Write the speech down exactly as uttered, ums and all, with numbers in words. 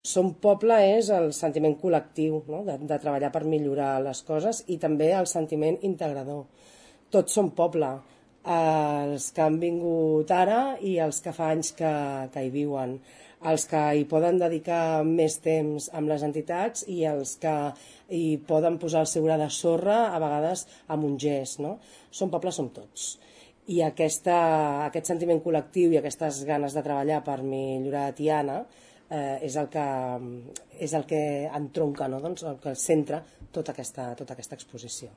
Som poble és el sentiment col·lectiu, no? de, de treballar per millorar les coses i també el sentiment integrador. Tots som poble, els que han vingut ara i els que fa anys que, que hi viuen, els que hi poden dedicar més temps amb les entitats i els que hi poden posar el seu gra de sorra, a vegades amb un gest. No? Som poble, som tots. I aquesta, aquest sentiment col·lectiu i aquestes ganes de treballar per millorar Tiana eh, és, el que, és el que entronca, no? doncs el que centra tota aquesta, tota aquesta exposició.